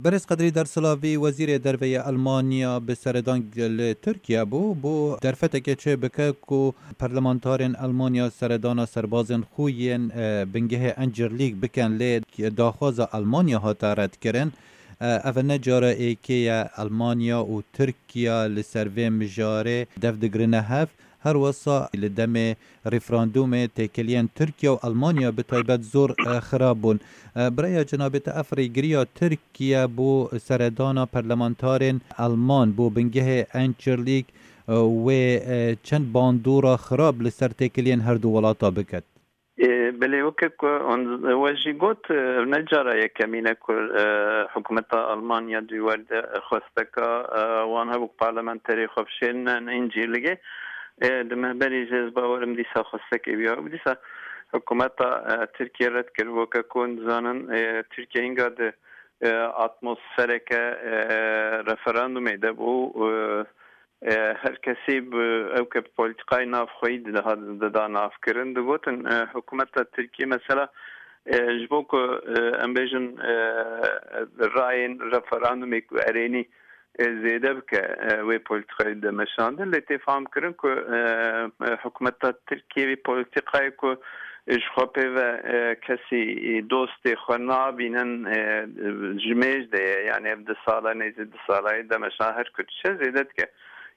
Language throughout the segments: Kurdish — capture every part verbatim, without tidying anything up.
Berêz Qedrî Dersilavî, Wezîrê Derve yê Elmanya, bi seredan li Tirkiye bû, bû derfeteke çê bike ku parlamentarên Elmanya seredana serbazên xwe yên, e, bingehê Encirlîk bikin, lê daxwaza Elmanya hate redkirin. E, ev ne cara êkê ye Elmanya û Tirkiye li ser vê mijarê dev digrine hev. Her wisa li demê referandûmê têkiliyên Tirkiye û Elmanya bi taybet zor, e, xirab bûn. E, bi raya cenabê te, ev rêgiriya Tirkiye bo seredana parlamentarên Elman bo bingehê Encirlîk, e, wê, e, çend bandora xirab li ser têkiliyên her du welata biket? Ê, belê, weke ku hûn, we jî got, e, ne cara yekemîn e ku, e, hikûmeta Almanya di wî warî de xwesteka, e, wan hebû ku parlamenterê xwe bişênin Încîrligê. E, di me berî jî ez bawerim dîsa xwestekê bûya. Dîsa hikûmeta, e, Tirkiye red kir. Weke ku hûn dizanin, e, Tirkiye hînga di, e, atmosfereke, e, referandumê de bû. E, e, her kesî bi, ew ke bi polîtîkayê navxweyî diha-, dida navkirin, digotin, e, hikûmeta Tirkiyê mesela, e, ji bo ku, e, em bêjin, e, rayên referandumê ku erênî, e, zêde bike, e, wê polîtîkayê de meşandin, lê tê fam kirin ku, e, e, hikûmeta Tirkiyê vê polîtîkayê ku ji xwe pê ve, e, kesî dostê xwe nabînin, e, ji mêj de ye. Yani ev du sala, nêzî du sala yê demeşan her ku diçe zêde dike.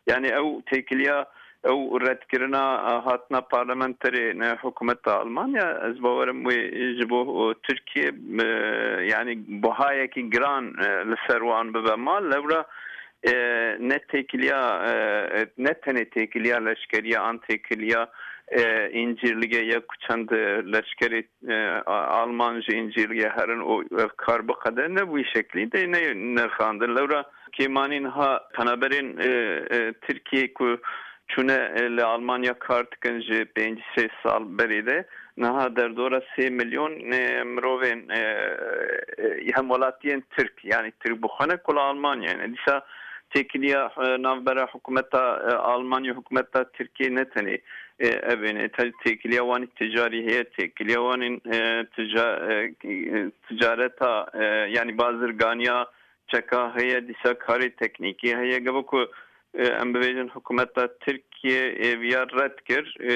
Yani ew têkiliya, ew redkirina, e, hatina parlamenterê ne hikûmeta Almanya, ez bawerim wê ji bo, e, Tirkiye, e, yani buhayekî giran, e, li ser wan bibe mal. Lewra, e, ne têkiliya, e, ne tenê têkiliya leşkeriya an têkiliya, e, Încîrligê ye ku çend leşkerê, e, a-, Alman ji Încîrligê herin û ev kar biqede, ne bi wî şeklî de ne nirxandin. Lewra kêmanî niha penaberên, e, e, Tirkiyê ku çûne, e, li Almanya kar dikin ji pênc sê sal berê de, niha derdora sê milyon, e, mirovên, e, e, hemwelatiyên Tirk, yani Tirk bi xwe ne ku li Almanya ne. Dîsa têkiliya, e, navbera hikûmeta, e, Almanya, hikûmeta Tirkiyê ne tenê, e, ev ê ne. Te-, têkiliya wan ê ticarî heye, têkiliya wan ên, e, tica-, e, e, ticareta, e, yani bazirganiya çeka heye, dîsa karê teknîkî heye. Gava ku, e, em bibêjin hikûmeta Tirkiye, e, viya red kir, e,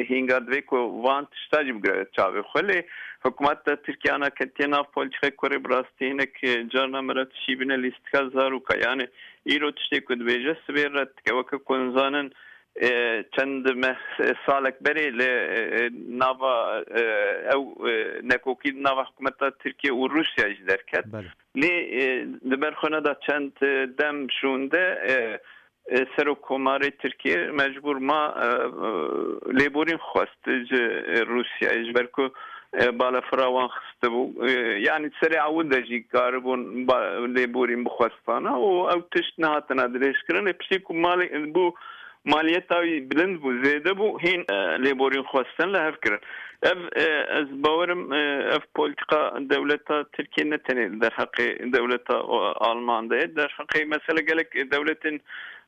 hînga divê ku van tişta jî bigire çavê xwe. Lê hikûmeta Tirkiye ana ketiye nav polîtîkayê kurê bi rastî hinek, e, carna mire tişî bîne lîstika zaroka. Yani îro tiştê ku dibêje sibê red dike. Weke ku hûn zanin, e, çend meh, salek berê li, e, nava, e, ew, e, nekokî nava hikûmeta Tirkiye û Rûsya jî derket. Belê. Lê, e, di ber xwe neda çend, e, dem şûnde, e, e, Serokkomarê Tirkiye mecbûr ma, e, e, lêborîn xwest ji, e, Rûsyayê, ji ber ku, e, balafira wan xistibû. E, yanî serê ewil de jî karibûn ba-, lêborîn bixwestana û ew tişt nehatine dirêjkirin. Lê piştî ku malê, bû maliyeta wî bilind bû, zêde bû, hîn, e, lêborîn xwestin li hev kirin. Ev, e, ez bawerim, e, ev polîtîka dewleta Tirkiye ne tenê li derheqê dewleta, o, Alman de ye. Derheqê mesela gelek dewletên,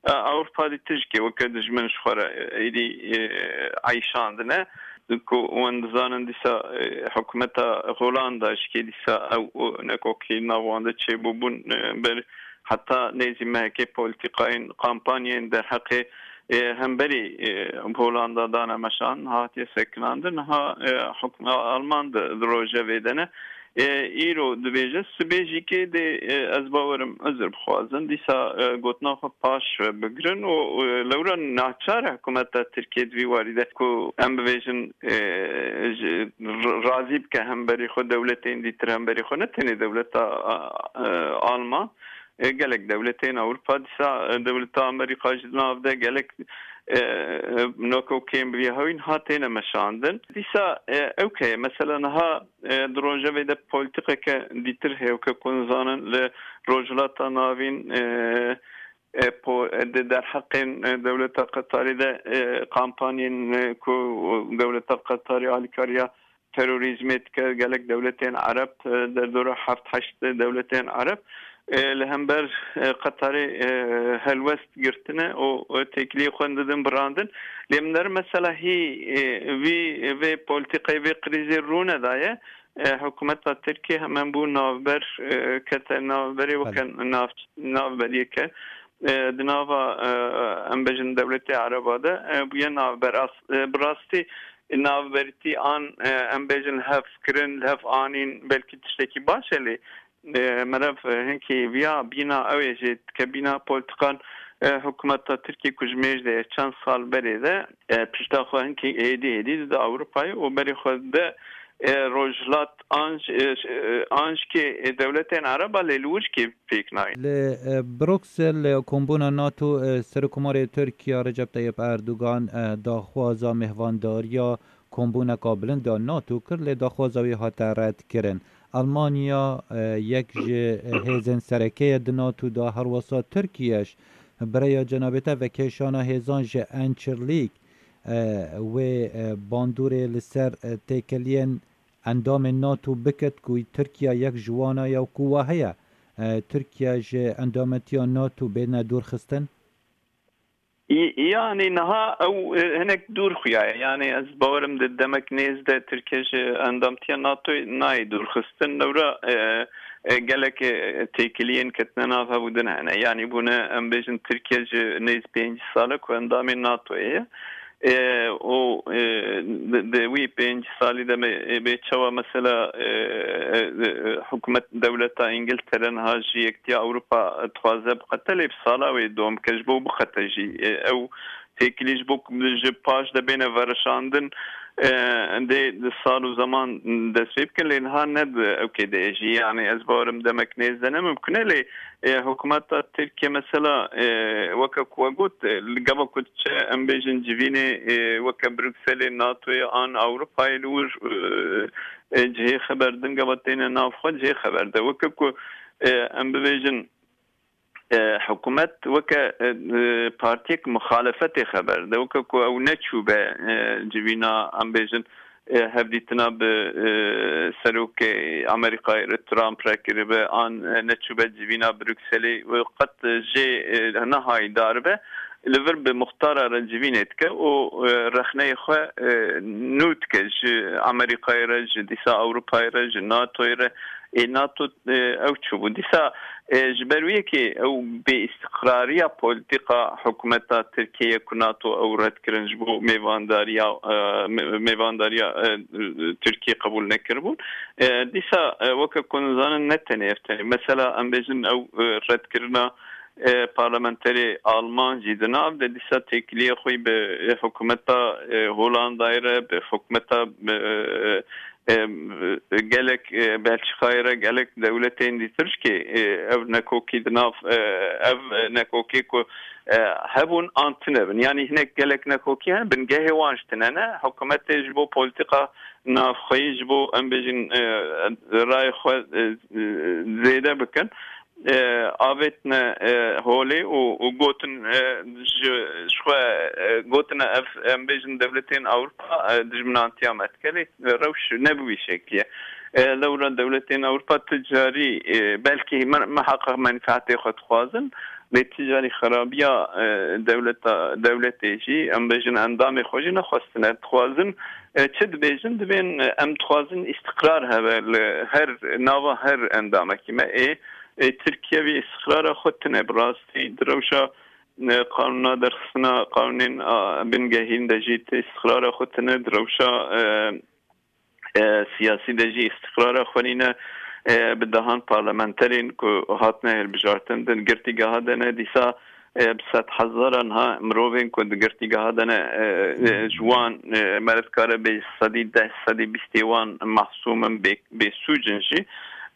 e, Ewropa dî tijkê weke dijmin ji xwe re, e, êdî, e, eyşandine. Ku hûn dizanin dîsa, e, hikûmeta Holanda jikê dîsa ew, o, nekokî nav wan de çêbûbûn, e, ber heta nêzî mehekê polîtîkayên kampanyayên derheqê, e, hemberî, e, Holanda dane meşan, hatiye sekinandin, niha, e, hukma Alman di, di rojevê de ne. E, îro dibêje, sibê jî kê dê, e, ez bawerim, uzr bixwazin, dîsa, e, gotina xwe paş ve bigirin û, e, lewra naçar e hikûmeta Tirkiye di vî warî de ku em bibêjin, e, ji, r-, razî bike hemberî xwe, dewletên dîtir hemberî xwe, ne tenê dewleta, e, Alman, e, gelek dewletên Ewropa, dîsa, e, dewleta Amerîka jî di nav de gelek, e, e, nekokên bi vî hewîn hatêne meşandin. Dîsa, e, ew ke ye, mesela niha, e, di rojevê de polîtîkeke dîtir heye, weke ku hûn zanin li Rojhilata Navîn, e, e, po-, e, di derheqên, e, dewleta Qetarê de, e, kampanyên, e, ku dewleta Qetarê alîkariya terorîzmê dike, gelek dewletên Ereb, e, derdora heft heşt dewletên Ereb, e, li hember, e, Qetarê, e, helwest girtine û, û têkiliyê xwe didin birandin. Lê min der mesela hî, e, vî, vê polîtîkayê, vê krîzê rûne daye. E, hikûmeta Tirkiyê hemen bû navber, e, kete navberê weke Belê. nav-, navberiyeke, e, di nava, e, em bêjin dewletê Ereba de, e, bûye navber. As-, e, bi rastî navbertî an, e, em bêjin li hev kirin, li hev anîn belkî tiştekî baş e lê, e, meriv, e, hinkî viya bîna ew ê jê dike bîna polîtikan, e, hikûmeta Tirkiyê ku ji mêj de ye çend sal berê de, e, pişta xwe hinkî êdî êdî dide Ewropayê û berê xwe dide, e, Rojhilat an, e, an jikê, e, dewletên Ereba lê li wir jikê pêk nayê. Li, e, Bruksel, e, kombûna NATO, e, Serokkomarê Tirkiya Recep Tayyip Erdogan, e, daxwaza mêhvandariya kombûneka bilind ya NATO kir, lê daxwaza wî hate redkirin. Almanya, e, yek ji, e, hêzên sereke ye di NATO de, herwesa Tirkiye ji bi rêya cenabê te vekêşana hêzan ji Ençirlîk, e, wê, e, bandorê li ser, e, têkiliyên endamên NATO bikit ku Tirkiye yek ji wana ye û ku wa heye, e, Tirkiye ji endametiya NATO bêne dûrxistin? Y-, yanî niha ew, e, hinek dûr xuyaye. Yanî ez bawerim di demek nêz de Tirkiye ji endamtiya NATOyê nayê dûrxistin. Lewra, e, e, gelek, e, têkiliyên ketine nav hev û din hene. Yanî bûne, em bêjin Tirkiye ji nêz pênc sal e ku endamê NATOyê ye. E, û, e, di, di wî pênc salî de me, e, bê çawa mesela, e, e, e, hikûmet, dewleta Îngiltere niha ji Yektiya Ewropa dixwaze biqete, lê bi sala wê dom bike ji bo biqete jî. E, ew têkilî ji bo ji paş de bêne verişandin, e, dê di sal û zeman dest pê bikin, lê niha ne di ewkê de ye jî. Yanî ez bawerim demek nêz de ne mimkun e, lê, e, hikûmeta Tirkiye mesela, e, weke ku we got, e, li gava ku diçe, em bêjin civînê, e, weke Brukselê, NATOyê an Ewropayê li wir, e, e, cihê xeber din gava têne nav xwe cihê xeber de. Weke ku, e, em bibêjin, e, hikûmet weke, e, e, partiyek muxalefetê xeber de. Weke ku ew neçûbe, e, civîna, em bêjin, e, hevdîtina bi, e, serokê Amerîkayê re Trump re kiribe, an, e, neçûbe civîna Brukselê û qet jê, e, nehayî daribe, li vir bi muxtara re civînê dike û, e, rexneyê xwe, e, nû dike ji Amerîkayê re, ji dîsa Ewropayê re, ji NATOyê re. Ê NATO, e, ew çûbû. Dîsa, e, ji ber wê yekê ew bêîstiqrariya polîtîka hikûmeta Tirkiyeyê ku NATO ew red kirin ji bo mêvandariya, e, me-, mêvandariya, e, Tirkiyê qebûl nekiribûn. E, dîsa, e, weke ku nizanin ne tenê ev tenê. Mesela em bêjin ew, e, redkirina, e, parlamenterê Alman jî di nav de dîsa têkiliyê xwe bi, e, hikûmeta, e, Holandayê re, bi hikûmeta, e, e, gelek, e, Belçîkayê re, gelek dewletên dîtir jî, e, ev nekokî di nav, e, ev nekokê ku, e, hebûn an tune bin. Yanî hinek gelek nekokî hene, bingehê wan jî tune ne. Hikûmetê ji bo polîtîka navxweyî, ji bo, em bêjin, e, rayê xwe, e, e, zêde bikin, e, avêtine, e, holê û, û gotin, e, ji, ji xwe, e, gotine ev, em bêjin dewletên Ewropa, e, dijminantiya me dike, lê rewş ne bi wî şeklî ye. E, lewra dewletên Ewropa ti carî, e, belkî me, miheqeq menfeetê xwe dixwazin, lê ti carî xerabiya, e, dewleta, dewletê jî, em bêjin endamê xwe jî nexwestine. Dixwazin, e, çi dibêjin? Dibên, e, em dixwazin îstiqrar hebe li her nava her endamekî me. Ê, ê, Tirkiye vê îstiqrara xwe tune bi rastî di rewşa, e, qanûna derxistina qanûnên, a, bingehîn de jî ti îstiqrara xwe tune di rewşa, e, e, siyasî de jî îstiqrara xwe nîne, e, bi dehan parlamenterên ku hatine hilbijartin di girtîgeha de ne dîsa, e, bi sedhezaran ha mirovên ku di girtîgeha de ne, e, e, ji wan, e, meriv dikare bê sedî deh, sedî bîstê wan mahsûm in, bê, bêsûc in jî,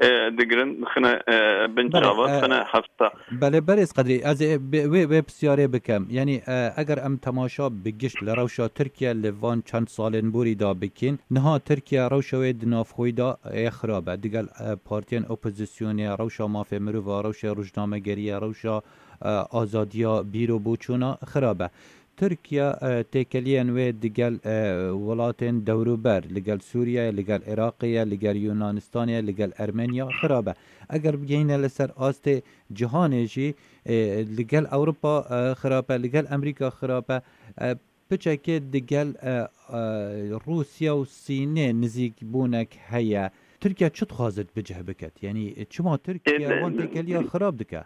e, digirin, dixine, e, bin Belê, çava, e, dixine hefta. Belê, berêz Qedrî, ez ê bi-, wê, wê pisyarê bikim. Yanî, e, eger em temaşa bi gişt li rewşa Tirkiye li van çend salên borî de bikin, niha Tirkiye rewşa wê di navxweyî de, e, xirab e. Digel, e, partiyên opozisyonê, rewşa mafê mirova, rewşa rojnamegeriyê, rewşa, e, azadiya bîr û boçûna xirab e. Tirkiye, e, têkeliyên wê digel, e, welatên dewrûber, li gel Sûriye, li gel Iraqê ye, li gel Yunanistanê ye, li gel Ermeniya xirab e. Eger bigihîne li ser astê cihanê jî, e, li gel Ewropa, e, xirab e, li gel Emerîka xirab e. E, piçekê digel, e, e, Rûsya û Sînê nizîkbûnek heye. Tirkiye çi dixwaze bi cih biket? Yanî çima Tirkiye wan têkeliya xirab dike?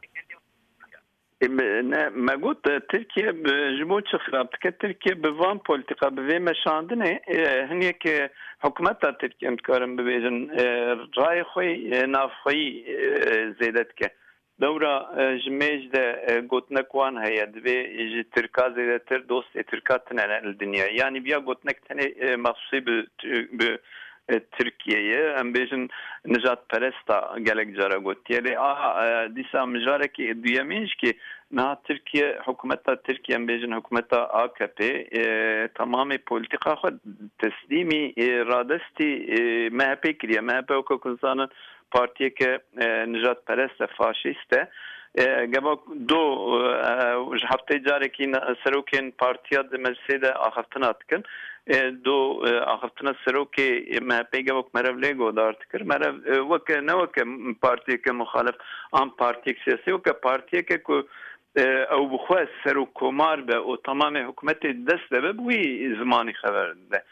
Ê, me, ne, me got, e, Tirkiye bi, ji bo çi xirab dike? Tirkiye bi van polîtîka, bi vê meşandinê, e, hinek, e, hikûmeta Tirkiye, em dikarin bibêjin, e, rayê xwe, e, navxweyî, e, zêde dike. Dewra, e, ji mêj de, e, gotinek wan heye, divê ji Tirka zêdetir dostê Tirka tine li dinyayê. Yanî viya gotinek tenê, e, mexsûsî bi, bi, e, Tirkiye ye. Em bêjin nijadperesta gelek cara gotiye. Lê aha, e, dîsa mijarekî duyemîn jî kê niha Tirkiye, hikûmeta Tirkiye, em bêjin hikûmeta A K P, e, temamê polîtîka xwe teslîmî, e, radestî, e, M H P kiriye. M H P weke ku zanin partiyeke, e, nijadperest e, faşîst e. E, geva do, e, ji heftê carekî ne-, serokên partiya di meclisê de axaftina dikin. E, do, e, axaftina serokê M H P geva ku merev lê godar dikir. Merev, e, weke, ne weke partiyeke muxalif an partiyek siyasî, weke partiyeke ku, e, ew bi xwe serokkomar be û temamê hikûmetê dest de be, bi wî zimanî xeber dide.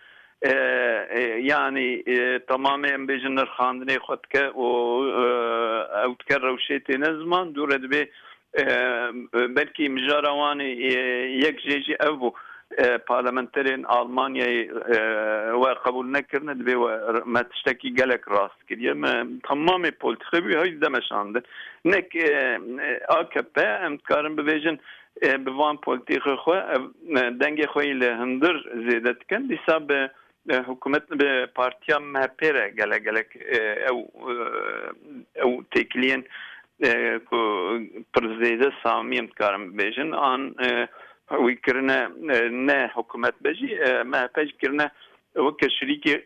E, e, yanî, e, temamê em bêjin nirxandinê xwe dike û, e, ew dike rewşê têne ziman, dû re dibê, e, belkî mijara wan, e, yek jê jî ev bû, e, parlamenterên Almanyayê, e, we qebûl nekirine, dibê we, me tiştekî gelek rast kiriye. Me temamê polîtîkê wî hay demeşandin. Nek, e, A K P, em dikarin bibêjin, e, bi van polîtîkê xwe, ev, e, dengê xwe yî li hundir zêde dikin. Dîsa bi, e, hikûmet, bi partiya M H P re gelek gelek, e, ew, e, ew têkiliyên, e, ku pir zêde samî em dikarin bibêjin, an, e, wî kirine, e, ne hikûmet be jî, e, M H P jî kirine weke şirîkê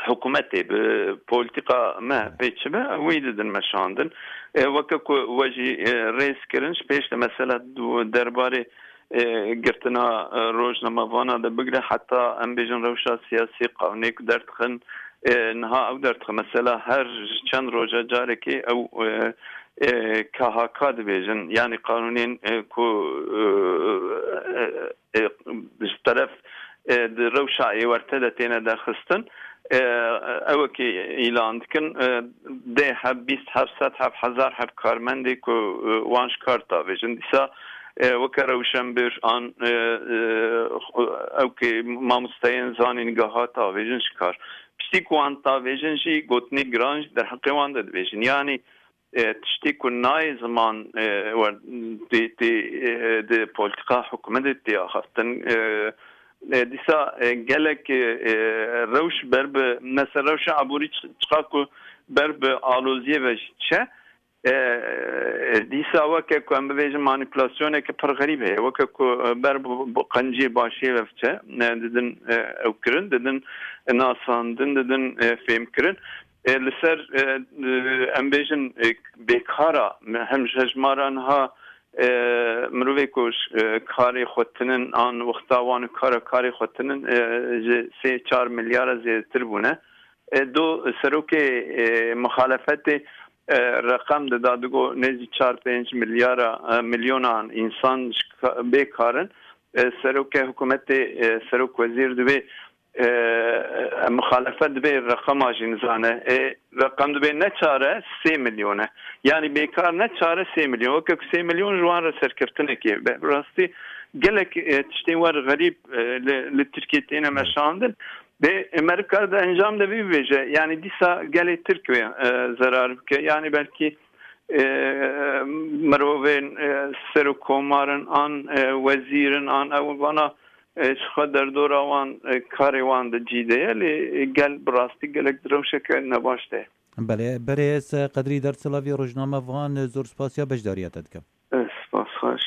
hikûmetê bi polîtîka M H P çi be, wî didin meşandin. E, weke ku we jî, e, rêz kirin, ji pêş de mesela du-, derbarê, e, girtina, e, rojnamevana de bigire heta em bêjin rewşa siyasî, qanûnê ku derdixin, e, niha ew derdixin. Mesela her çend roja carekê ew, e, e, K H K dibêjin, yanî qanûnên, e, ku, e, e, e, ji teref, e, di rewşa êwerte de têne derxistin, e, ew wekî îlan dikin, e, dê heb, bîst heb, sed heb, hezar heb karmendê ku, e, wan ji kar davêjin. Dîsa, e, weke rewşenbir an, e, e, ew kê mamosteyên zanîngeha davêjin ji kar. Piştî ku wan davêjin jî gotinê giran jî derheqê wan de dibêjin. Yanî, e, tiştê ku nayê ziman, e, wer-, tê, tê, e, di polîtîka hikûmetê tê axaftin. E, e, dîsa, e, gelek, e, e, rewş ber bi, mesela rewşa aborî çi-, çiqa ku ber bi aloziyê ve jî diçe, e, e, dîsa weke ku em bibêjin manîpulasyoneke pir xerîb heye. Weke ku, e, ber bi, bi qenciyê başiyê ve biçe, e, didin, e, ew kirin, didin nasandin, didin, e, fêmkirin. E, li ser, e, e, em bêjin, e, bêkara, me hem ji hejmara niha, e, mirovê ku ji, e, karê xwe tinin an wexta wan û kara karê xwe tinin, e, ji sê çar milyara zêdetir bûne. E, do serokê, e, muxalefetê, e, reqem dida, digo nêzî çar pênc milyara, e, milyonan însan ji ka-, bêkar in. E, serokê hikûmetê, e, serok wezîr dibê, e, muxalefet dibê reqema jî nizane. E, reqem dibê ne çar e, sê milyon e. Yanî bêkar ne çar e, sê milyon. Weke ku sê milyon ji wan re serkeftinekê be. Bi rastî gelek, e, tiştên wer xerîb, e, li, li Tirkiyê têne meşandin. Dê, e, meriv kar di encam de vî bibêje. Yanî dîsa gelê Tirk wê, e, zerar bike. Yanî belkî, e, mirovên, e, serokkomarin an, e, wezîrin an ew vana, e, ji xwe derdora wan, e, karê wan di cî de ye, lê, e, gel bi rastî gelek di rewşeke nebaş de ye. Belê, berêz Qedrî Dersilavî rojnamevan, zor spasiya beşdariya te dikim. E, spas xweş.